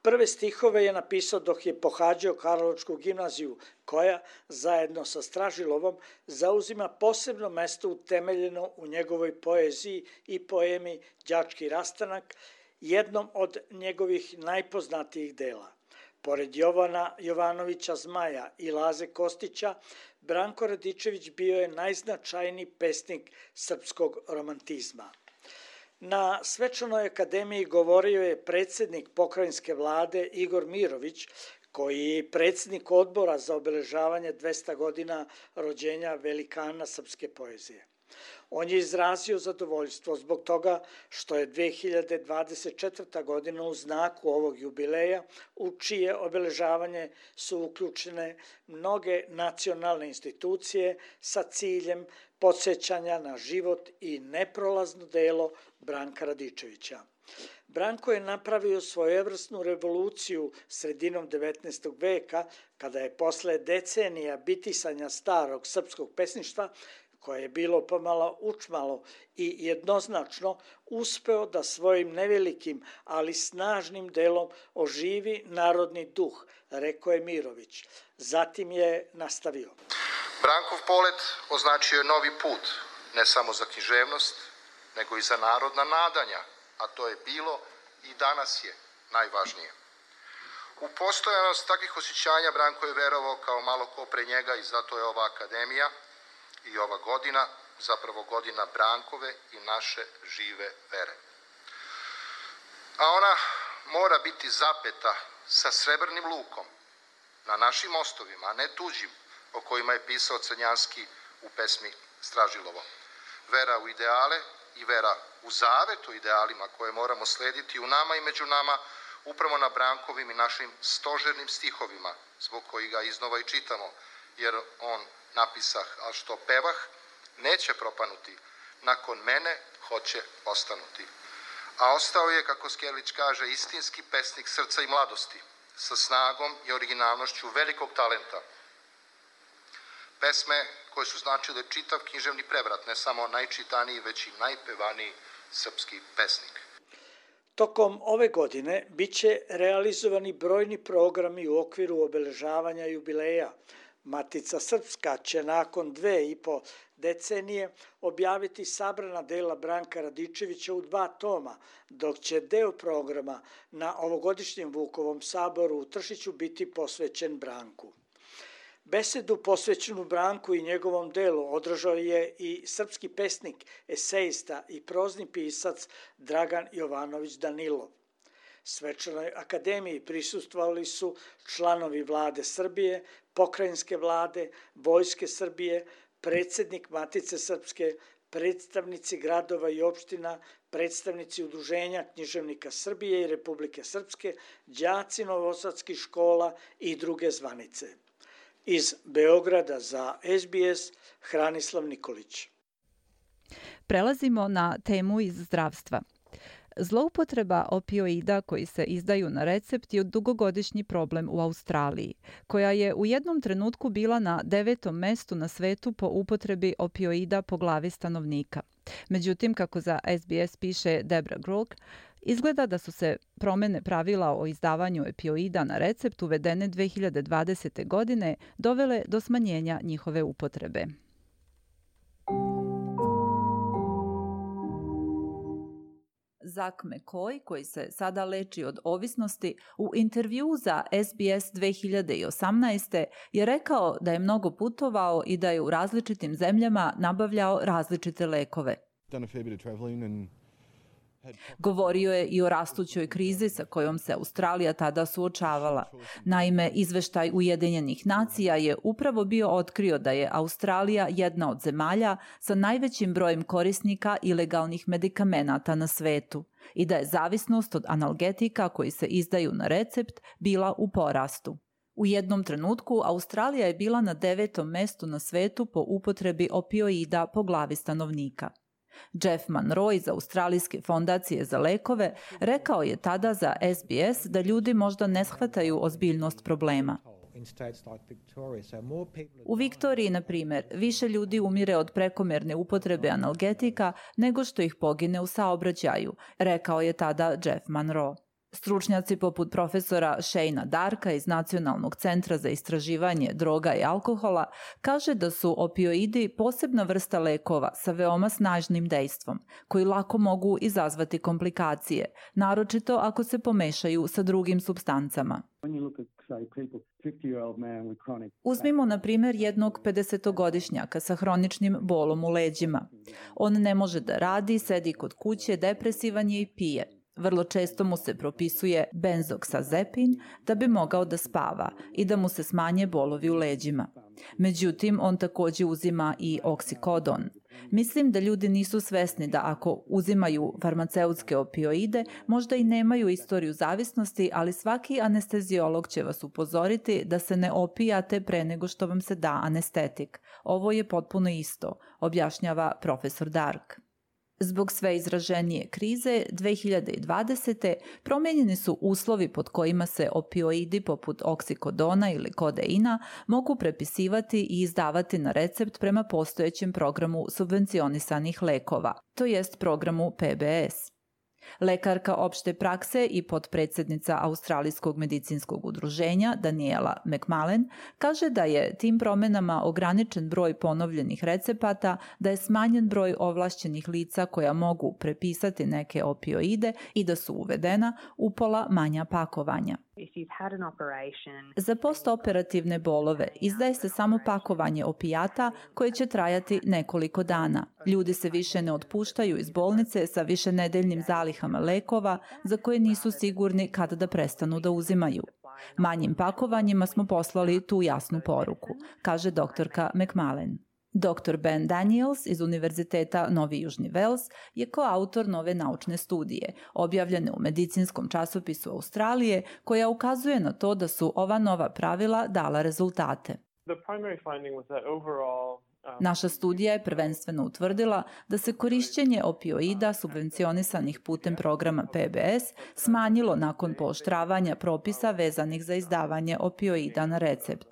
Prve stihove je napisao dok je pohađao Karlovačku gimnaziju, koja, zajedno sa Stražilovom, zauzima posebno mesto utemeljeno u njegovoj poeziji i poemi Đački rastanak, jednom od njegovih najpoznatijih dela. Pored Jovana Jovanovića Zmaja i Laze Kostića, Branko Radičević bio je najznačajniji pesnik srpskog romantizma. Na svečanoj akademiji govorio je predsjednik pokrajinske vlade Igor Mirović, koji je predsjednik odbora za obeležavanje 200 godina rođenja velikana srpske poezije. On je izrazio zadovoljstvo zbog toga što je 2024. godina u znaku ovog jubileja, u čije obeležavanje su uključene mnoge nacionalne institucije sa ciljem podsjećanja na život i neprolazno delo Branka Radičevića. Branko je napravio svojevrsnu revoluciju sredinom 19. veka, kada je posle decenija bitisanja starog srpskog pesništva, koje je bilo pomalo učmalo i jednoznačno, uspeo da svojim nevelikim, ali snažnim delom oživi narodni duh, rekao je Mirović. Zatim je nastavio. Brankov polet označio je novi put, ne samo za književnost, nego i za narodna nadanja, a to je bilo i danas je najvažnije. U postojanost takvih osjećanja Branko je verovao kao malo ko pre njega i zato je ova akademija i ova godina, zapravo godina Brankove i naše žive vere. A ona mora biti zapeta sa srebrnim lukom na našim mostovima, a ne tuđim, o kojima je pisao Crnjanski u pesmi Stražilovo. Vera u ideale i vera u zavet o idealima koje moramo slediti u nama i među nama, upravo na Brankovim i našim stožernim stihovima, zbog kojih ga iznova i čitamo, jer on napisah, a što pevah, neće propanuti, nakon mene hoće ostanuti. A ostao je, kako Skerlić kaže, istinski pesnik srca i mladosti, sa snagom i originalnošću velikog talenta. Pesme koje su značile čitav književni prevrat, ne samo najčitaniji, već i najpevaniji srpski pesnik. Tokom ove godine biće realizovani brojni programi u okviru obeležavanja jubileja. Matica Srpska će nakon 2,5 decenije objaviti sabrana dela Branka Radičevića u 2 toma, dok će deo programa na ovogodišnjem Vukovom saboru u Tršiću biti posvećen Branku. Besedu posvećenu Branku i njegovom delu održao je i srpski pesnik, esejista i prozni pisac Dragan Jovanović Danilov. Svečanoj akademiji prisustvovali su članovi vlade Srbije, pokrajinske vlade, Vojske Srbije, predsjednik Matice Srpske, predstavnici gradova i opština, predstavnici Udruženja književnika Srbije i Republike Srpske, đaci novosadskih škola i druge zvanice. Iz Beograda za SBS, Hranislav Nikolić. Prelazimo na temu iz zdravstva. Zloupotreba opioida koji se izdaju na recept je dugogodišnji problem u Australiji, koja je u jednom trenutku bila na 9. mestu na svetu po upotrebi opioida po glavi stanovnika. Međutim, kako za SBS piše Debra Grook, izgleda da su se promene pravila o izdavanju opioida na recept uvedene 2020. godine dovele do smanjenja njihove upotrebe. Zak McCoy, koji se sada leči od ovisnosti, u intervjuu za SBS 2018. je rekao da je mnogo putovao i da je u različitim zemljama nabavljao različite lekove. Govorio je i o rastućoj krizi sa kojom se Australija tada suočavala. Naime, izveštaj Ujedinjenih nacija je upravo bio otkrio da je Australija jedna od zemalja sa najvećim brojem korisnika ilegalnih medikamenata na svetu i da je zavisnost od analgetika koji se izdaju na recept bila u porastu. U jednom trenutku Australija je bila na 9. mestu na svetu po upotrebi opioida po glavi stanovnika. Jeff Monroe iz Australijske fondacije za lekove rekao je tada za SBS da ljudi možda ne shvataju ozbiljnost problema. U Viktoriji, na primjer, više ljudi umire od prekomerne upotrebe analgetika nego što ih pogine u saobraćaju, rekao je tada Jeff Monroe. Stručnjaci poput profesora Shayna Darka iz Nacionalnog centra za istraživanje droga i alkohola kaže da su opioidi posebna vrsta lekova sa veoma snažnim dejstvom, koji lako mogu izazvati komplikacije, naročito ako se pomešaju sa drugim supstancama. Uzmimo, na primjer, jednog 50-godišnjaka sa hroničnim bolom u leđima. On ne može da radi, sedi kod kuće, depresivan je i pije. Vrlo često mu se propisuje benzoksazepin da bi mogao da spava i da mu se smanje bolovi u leđima. Međutim, on također uzima i oksikodon. Mislim da ljudi nisu svesni da ako uzimaju farmaceutske opioide, možda i nemaju istoriju zavisnosti, ali svaki anesteziolog će vas upozoriti da se ne opijate pre nego što vam se da anestetik. Ovo je potpuno isto, objašnjava profesor Dark. Zbog sve izraženije krize, 2020. promijenjeni su uslovi pod kojima se opioidi poput oksikodona ili kodeina mogu prepisivati i izdavati na recept prema postojećem programu subvencionisanih lekova, to jest programu PBS. Lekarka opšte prakse i potpredsjednica Australijskog medicinskog udruženja Daniela McMullen kaže da je tim promjenama ograničen broj ponovljenih recepata, da je smanjen broj ovlašćenih lica koja mogu prepisati neke opioide i da su uvedena upola manja pakovanja. Za postoperativne bolove izdaje se samo pakovanje opijata koje će trajati nekoliko dana. Ljudi se više ne otpuštaju iz bolnice sa višenedeljnim zalihama lekova za koje nisu sigurni kada da prestanu da uzimaju. Manjim pakovanjima smo poslali tu jasnu poruku, kaže doktorka McMullen. Dr. Ben Daniels iz Univerziteta Novi Južni Vels je koautor nove naučne studije, objavljene u medicinskom časopisu Australije, koja ukazuje na to da su ova nova pravila dala rezultate. Naša studija je prvenstveno utvrdila da se korišćenje opioida subvencionisanih putem programa PBS smanjilo nakon pooštravanja propisa vezanih za izdavanje opioida na recept.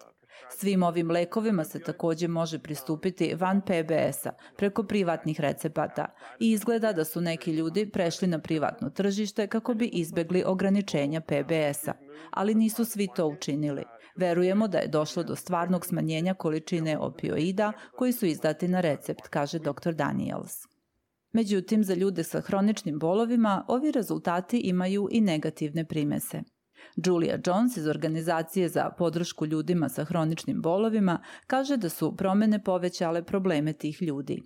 Svim ovim lekovima se također može pristupiti van PBS-a, preko privatnih recepata i izgleda da su neki ljudi prešli na privatno tržište kako bi izbjegli ograničenja PBS-a, ali nisu svi to učinili. Verujemo da je došlo do stvarnog smanjenja količine opioida koji su izdati na recept, kaže dr. Daniels. Međutim, za ljude sa hroničnim bolovima ovi rezultati imaju i negativne primese. Julia Jones iz Organizacije za podršku ljudima sa hroničnim bolovima kaže da su promjene povećale probleme tih ljudi.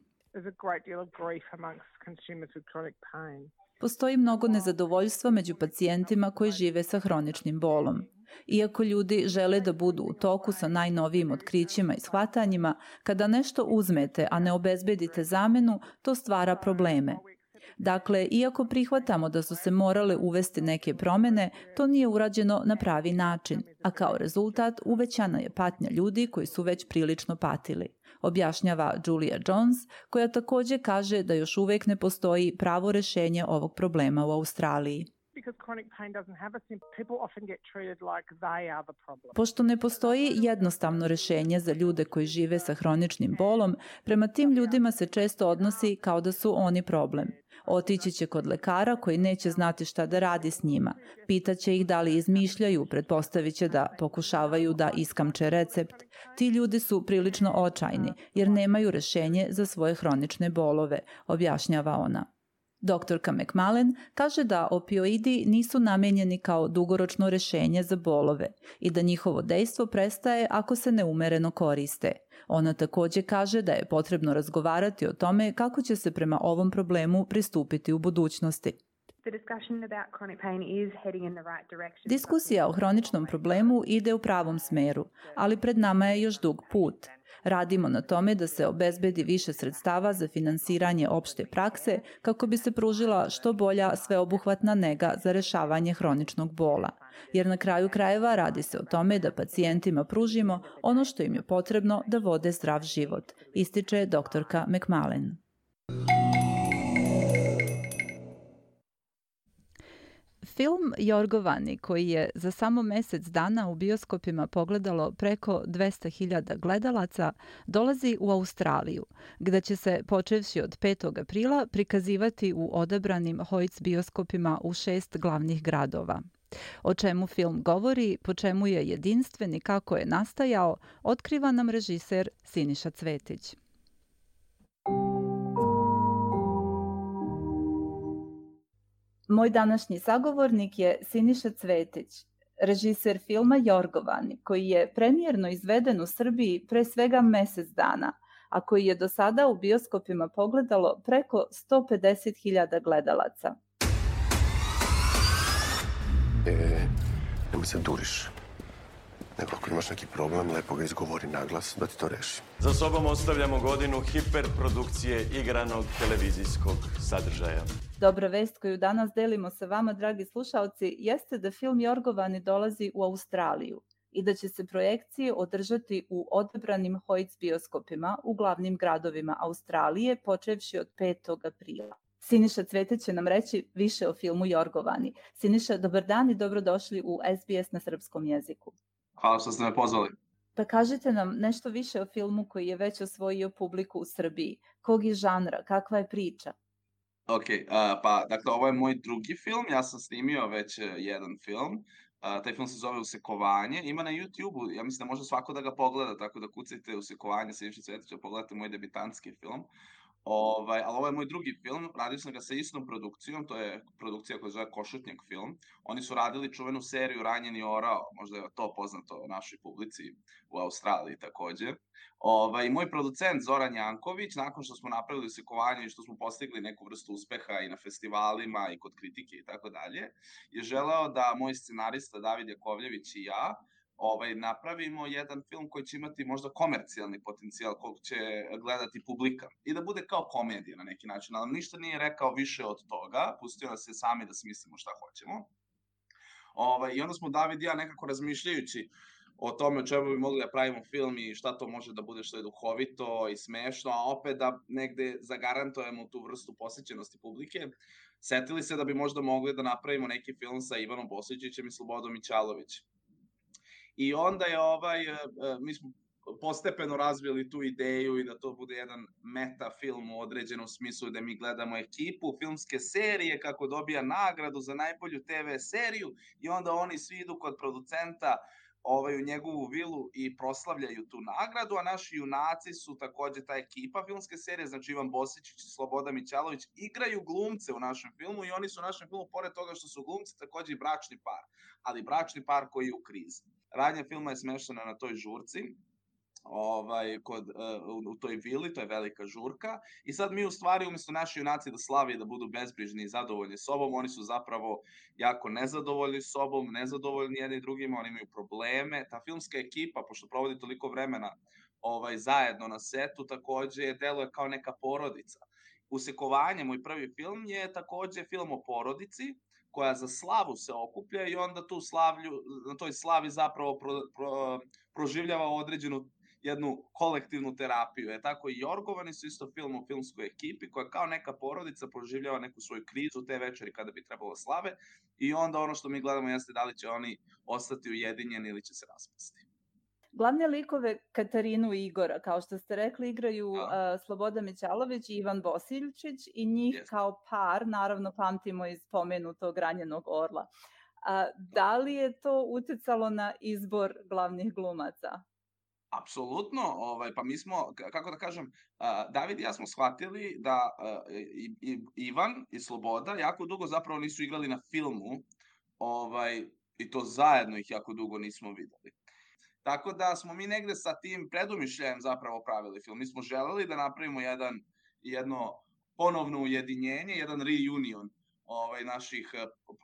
Postoji mnogo nezadovoljstva među pacijentima koji žive sa hroničnim bolom. Iako ljudi žele da budu u toku sa najnovijim otkrićima i shvatanjima, kada nešto uzmete, a ne obezbedite zamenu, to stvara probleme. Dakle, iako prihvatamo da su se morale uvesti neke promjene, to nije urađeno na pravi način, a kao rezultat uvećana je patnja ljudi koji su već prilično patili, objašnjava Julia Jones, koja također kaže da još uvijek ne postoji pravo rješenje ovog problema u Australiji. Pošto ne postoji jednostavno rješenje za ljude koji žive sa hroničnim bolom, prema tim ljudima se često odnosi kao da su oni problem. Otići će kod lekara koji neće znati šta da radi s njima. Pitaće ih da li izmišljaju, pretpostavit će da pokušavaju da iskamče recept. Ti ljudi su prilično očajni jer nemaju rješenje za svoje hronične bolove, objašnjava ona. Doktorka McMullen kaže da opioidi nisu namijenjeni kao dugoročno rješenje za bolove i da njihovo dejstvo prestaje ako se neumjereno koriste. Ona također kaže da je potrebno razgovarati o tome kako će se prema ovom problemu pristupiti u budućnosti. Diskusija o hroničnom problemu ide u pravom smeru, ali pred nama je još dug put. Radimo na tome da se obezbedi više sredstava za finansiranje opšte prakse kako bi se pružila što bolja sveobuhvatna nega za rešavanje hroničnog bola. Jer na kraju krajeva radi se o tome da pacijentima pružimo ono što im je potrebno da vode zdrav život, ističe doktorka McMullen. Film Jorgovani, koji je za samo mesec dana u bioskopima pogledalo preko 200.000 gledalaca, dolazi u Australiju, gde će se, počevši od 5. aprila, prikazivati u odabranim Hoyts bioskopima u 6 glavnih gradova. O čemu film govori, po čemu je jedinstven i kako je nastajao, otkriva nam režiser Siniša Cvetić. Moj današnji sagovornik je Siniša Cvetić, režiser filma Jorgovani, koji je premijerno izveden u Srbiji pre svega mesec dana, a koji je do sada u bioskopima pogledalo preko 150.000 gledalaca. Nemoj se duriš. Nego ako imaš neki problem, lepo ga izgovori naglas da ti to reši. Za sobom ostavljamo godinu hiperprodukcije igranog televizijskog sadržaja. Dobra vest koju danas delimo sa vama, dragi slušaoci, jeste da film Jorgovani dolazi u Australiju i da će se projekcije održati u odabranim Hoyts bioskopima u glavnim gradovima Australije, počevši od 5. aprila. Siniša Cvetić će nam reći više o filmu Jorgovani. Siniša, dobar dan i dobrodošli u SBS na srpskom jeziku. Hvala što ste me pozvali. Pa kažite nam nešto više o filmu koji je već osvojio publiku u Srbiji. Kog je žanra? Kakva je priča? Ok, pa dakle ovo je moj drugi film, ja sam snimio već jedan film. Taj film se zove Usekovanje, ima na YouTube-u, ja mislim da može svako da ga pogleda, tako da kucajte Usekovanje Siniša Cvetića, pogledajte moj debitantski film. Ali ovo je moj drugi film, radio sam ga sa istom produkcijom, to je produkcija koja se zove Košutnjak film. Oni su radili čuvenu seriju Ranjeni orao, možda je to poznato našoj publici u Australiji takođe. I moj producent Zoran Janković, nakon što smo napravili Usekovanje i što smo postigli neku vrstu uspeha i na festivalima i kod kritike i tako dalje, je želeo da moj scenarista David Jakovljević i ja napravimo jedan film koji će imati možda komercijalni potencijal kog će gledati publika i da bude kao komedija na neki način, ali ništa nije rekao više od toga, pustio nas je sami da smislimo šta hoćemo. I onda smo David i ja nekako razmišljajući o tome o čemu bi mogli da pravimo film i šta to može da bude što je duhovito i smešno, a opet da negde zagarantujemo tu vrstu posvećenosti publike, setili se da bi možda mogli da napravimo neki film sa Ivanom Bosićićem i Slobodom Mićalović. I onda je mi smo postepeno razvili tu ideju i da to bude jedan meta film u određenom smislu gde mi gledamo ekipu filmske serije kako dobija nagradu za najbolju TV seriju i onda oni svi idu kod producenta u njegovu vilu i proslavljaju tu nagradu, a naši junaci su takođe ta ekipa filmske serije, znači Ivan Bosićić i Sloboda Mićalović, igraju glumce u našem filmu i oni su u našem filmu, pored toga što su glumci, takođe i bračni par, ali bračni par koji je u krizi. Radnja filma je smeštena na toj žurci, u toj vili, to je velika žurka, i sad mi u stvari umjesto naši junaci da slave i da budu bezbrižni i zadovoljni sobom, oni su zapravo jako nezadovoljni sobom, nezadovoljni jedni drugima, oni imaju probleme. Ta filmska ekipa, pošto provodi toliko vremena zajedno na setu, takođe deluje kao neka porodica. Usekovanje, moj prvi film, je takođe film o porodici, koja za slavu se okuplja i onda na toj slavi zapravo proživljava određenu jednu kolektivnu terapiju. Tako i Jorgovani su isto film o filmskoj ekipi koja kao neka porodica proživljava neku svoju krizu te večeri kada bi trebalo slave i onda ono što mi gledamo jeste da li će oni ostati ujedinjeni ili će se raspasti. Glavne likove Katarinu i Igora, kao što ste rekli, igraju Sloboda Mićalović i Ivan Bosiljčić i njih kao par, naravno pamtimo iz pomenutog Ranjenog orla. Da li je to uticalo na izbor glavnih glumaca? Apsolutno, pa mi smo, kako da kažem, David i ja smo shvatili da Ivan i Sloboda jako dugo zapravo nisu igrali na filmu i to zajedno ih jako dugo nismo videli. Tako da smo mi negde sa tim predumišljajem zapravo pravili film. Mi smo želeli da napravimo jedno ponovno ujedinjenje, jedan reunion naših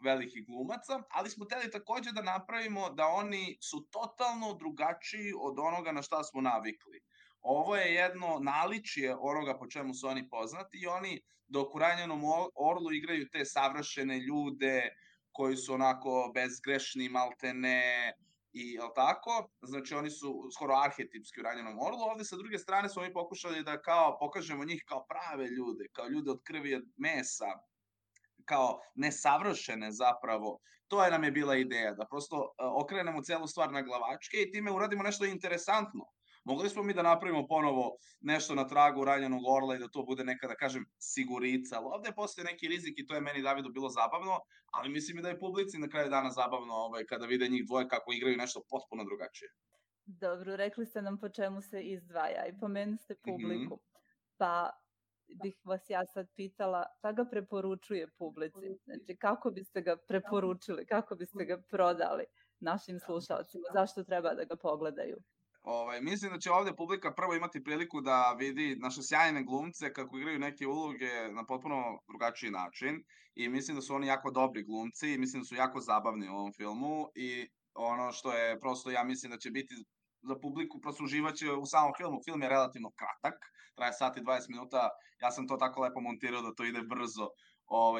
velikih glumaca, ali smo hteli takođe da napravimo da oni su totalno drugačiji od onoga na šta smo navikli. Ovo je jedno naličje onoga po čemu su oni poznati i oni dok u Ranjenom orlu igraju te savršene ljude koji su onako bezgrešni, maltene, i jel tako? Znači oni su skoro arhetipski u Ranjenom orlu. Ovde sa druge strane smo mi pokušali da kao pokažemo njih kao prave ljude, kao ljude od krvi i od mesa, kao nesavršene zapravo. To nam je bila ideja, da prosto okrenemo celu stvar na glavačke i time uradimo nešto interesantno. Mogli smo mi da napravimo ponovo nešto na tragu Ranjenog orla i da to bude neka, da kažem, sigurica, ali ovde postoje neki rizik i to je meni, Davidu, bilo zabavno, ali mislim i da je publici na kraju dana zabavno kada vide njih dvoje kako igraju nešto potpuno drugačije. Dobro, rekli ste nam po čemu se izdvaja i pomenuli ste publiku. Pa bih vas ja sad pitala, šta ga preporučuje publici? Znači, kako biste ga preporučili, kako biste ga prodali našim slušalcima? Zašto treba da ga pogledaju? Mislim da će ovde publika prvo imati priliku da vidi naše sjajne glumce kako igraju neke uloge na potpuno drugačiji način i mislim da su oni jako dobri glumci i mislim da su jako zabavni u ovom filmu i ono što je prosto, ja mislim da će biti za publiku, prosto uživaće u samom filmu. Film je relativno kratak, traje sat i 20 minuta, ja sam to tako lepo montirao da to ide brzo,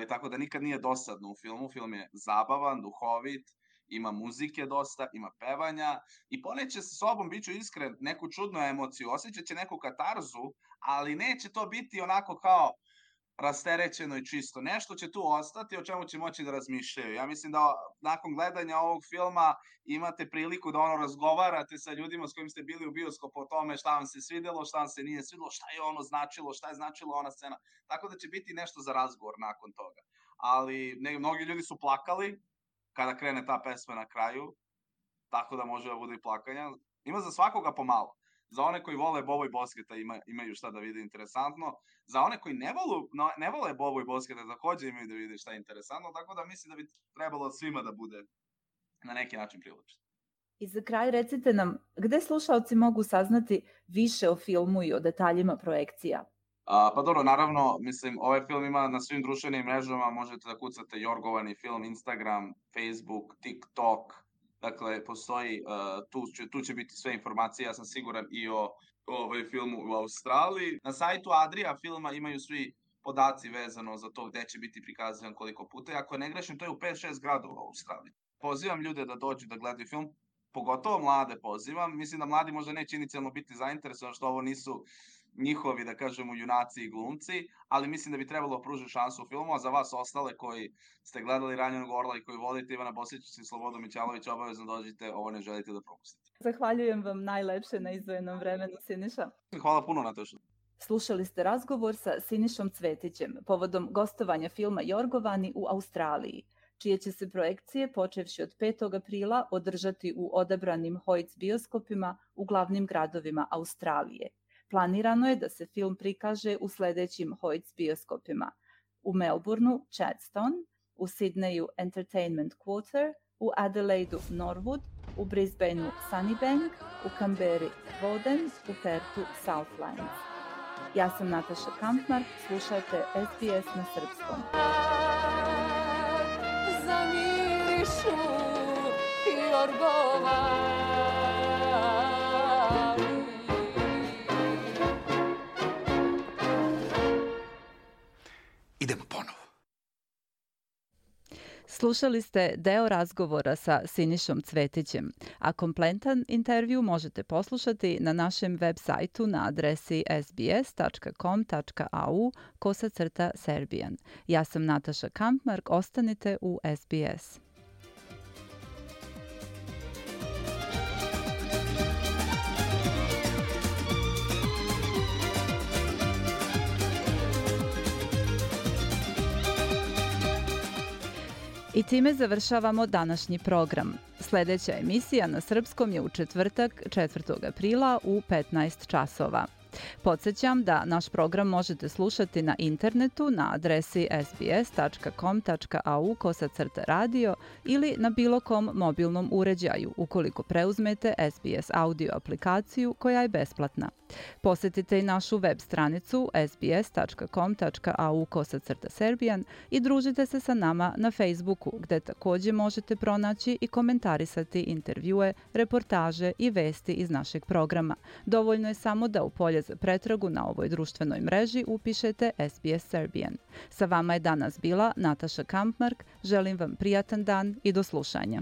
tako da nikad nije dosadno u filmu. Film je zabavan, duhovit, ima muzike dosta, ima pevanja i poneće sa sobom, bit ću iskren, neku čudnu emociju, osjećat će neku katarzu, ali neće to biti onako kao rasterećeno i čisto. Nešto će tu ostati o čemu će moći da razmišljaju. Ja mislim da nakon gledanja ovog filma imate priliku da razgovarate sa ljudima s kojim ste bili u bioskopu o tome šta vam se svidelo, šta vam se nije svidelo, šta je ono značilo, šta je značilo ona scena. Tako da će biti nešto za razgovor nakon toga. Ali mnogi ljudi su plakali kada krene ta pesma na kraju, tako da može da bude i plakanja. Ima za svakoga pomalo. Za one koji vole Bobo i Bosketa imaju šta da vide interesantno. Za one koji ne vole Bobo i Bosketa takođe imaju da vide šta je interesantno, tako da mislim da bi trebalo svima da bude na neki način privlačno. I za kraj recite nam, gde slušalci mogu saznati više o filmu i o detaljima projekcija? Pa dobro, naravno, mislim, ovaj film ima na svim društvenim mrežama, možete da kucate Jorgovani film, Instagram, Facebook, TikTok, dakle, postoji, tu će biti sve informacije, ja sam siguran i o filmu u Australiji. Na sajtu Adria filma imaju svi podaci vezano za to gde će biti prikazivan koliko puta, ako ne grešim, to je u 5-6 gradova u Australiji. Pozivam ljude da dođu da gledaju film, pogotovo mlade pozivam, mislim da mladi možda neće inicijalno biti zainteresovani što ovo nisu njihovi, da kažemo, junaci i glumci, ali mislim da bi trebalo pružiti šansu u filmu, a za vas ostale koji ste gledali Ranjenog orla i koji volite Ivana Bosičića i Slobodu Mićalovića, obavezno dođite, ovo ne želite da propustite. Zahvaljujem vam najlepše na izdvojenom vremenu, Siniša. Hvala puno, Nataša. Slušali ste razgovor sa Sinišom Cvetićem povodom gostovanja filma Jorgovani u Australiji, čije će se projekcije, počevši od 5. aprila, održati u odabranim Hoyts bioskopima u glavnim gradovima Australije. Planirano je da se film prikaže u sledećim Hoyts bioskopima: u Melbourneu Chadstone, u Sydneyu Entertainment Quarter, u Adelaidu Norwood, u Brisbaneu Sunnybank, u Canberri Woden, u Perthu Southlands. Ja sam Nataša Kampmark, slušajte SBS na srpskom. Zamirišu Jorgovani. Idemo ponovo. Slušali ste deo razgovora sa Sinišom Cvetićem, a kompletan intervju možete poslušati na našem web sajtu na adresi sbs.com.au/Serbian. Ja sam Nataša Kampmark, ostanite u SBS. I time završavamo današnji program. Sledeća emisija na srpskom je u četvrtak, 4. aprila u 15 časova. Podsjećam da naš program možete slušati na internetu na adresi sbs.com.au/radio ili na bilo kom mobilnom uređaju ukoliko preuzmete SBS audio aplikaciju koja je besplatna. Posjetite i našu web stranicu sbs.com.au/serbian i družite se sa nama na Facebooku, gde također možete pronaći i komentarisati intervjue, reportaže i vesti iz našeg programa. Dovoljno je samo da u polje za pretragu na ovoj društvenoj mreži upišete SBS Serbian. Sa vama je danas bila Nataša Kampmark. Želim vam prijatan dan i do slušanja.